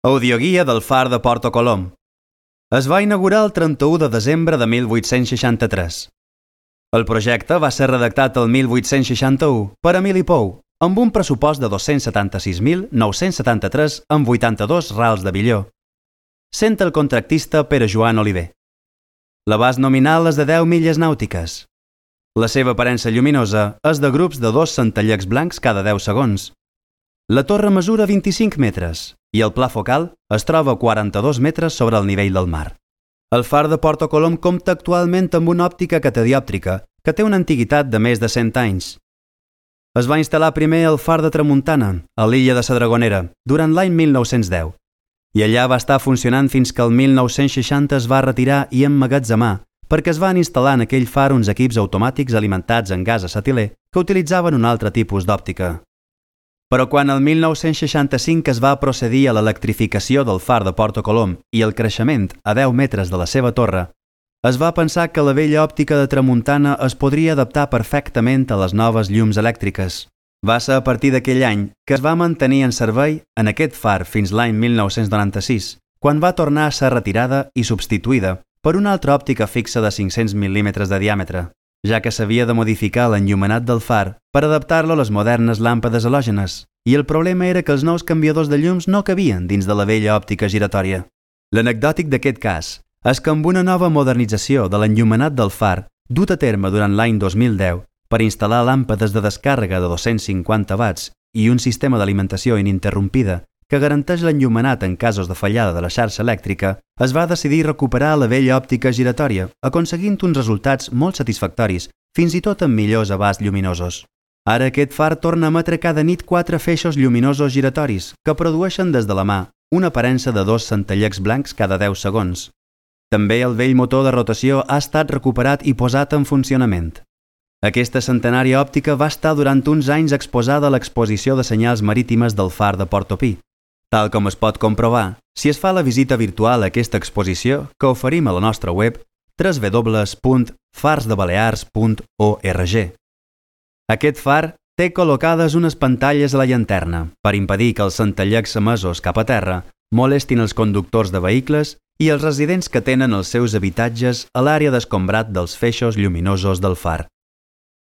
Audioguia del far de Porto Colom. Es va inaugurar el 31 de desembre de 1863. El projecte va ser redactat el 1861 per Emili Pou, amb un pressupost de 276.973 amb 82 rals de billó, sent el contractista Pere Joan Oliver. L'abast nominal és de 10 milles nàutiques. La seva aparença lluminosa és de grups de 2 centellecs blancs cada 10 segons. La torre mesura 25 metres i el pla focal es troba a 42 metres sobre el nivell del mar. El far de Porto Colom compta actualment amb una òptica catadiòptrica que té una antiguitat de més de 100 anys. Es va instal·lar primer el far de Tramuntana, a l'illa de la Dragonera, durant l'any 1910, i allà va estar funcionant fins que el 1960 es va retirar i emmagatzemar perquè es van instal·lar en aquell far uns equips automàtics alimentats en gas acetiler que utilitzaven un altre tipus d'òptica. Però quan el 1965 es va procedir a l'electrificació del far de Porto Colom i el creixement a 10 metres de la seva torre, es va pensar que la vella òptica de Tramuntana es podria adaptar perfectament a les noves llums elèctriques. Va ser a partir d'aquell any que es va mantenir en servei en aquest far fins l'any 1996, quan va tornar a ser retirada i substituïda per una altra òptica fixa de 500 mil·límetres de diàmetre, ja que s'havia de modificar l'enllumenat del far per adaptar-lo a les modernes làmpades halògenes, i el problema era que els nous canviadors de llums no cabien dins de la vella òptica giratòria. L'anecdòtic d'aquest cas és que amb una nova modernització de l'enllumenat del far dut a terme durant l'any 2010 per instal·lar làmpades de descàrrega de 250 watts i un sistema d'alimentació ininterrompida que garanteix l'enllumenat en casos de fallada de la xarxa elèctrica, es va decidir recuperar la vella òptica giratòria, aconseguint uns resultats molt satisfactoris, fins i tot amb millors abasts lluminosos. Ara aquest far torna a emetre cada nit 4 feixos lluminosos giratoris que produeixen des de la mà una aparença de 2 centellecs blancs cada 10 segons. També el vell motor de rotació ha estat recuperat i posat en funcionament. Aquesta centenària òptica va estar durant uns anys exposada a l'exposició de senyals marítimes del far de Porto Pi. Tal com es pot comprovar, si es fa la visita virtual a aquesta exposició que oferim a la nostra web www.farsdebalears.org. Aquest far té col·locades unes pantalles a la llanterna per impedir que els centellecs emesos cap a terra molestin els conductors de vehicles i els residents que tenen els seus habitatges a l'àrea d'escombrat dels feixos lluminosos del far.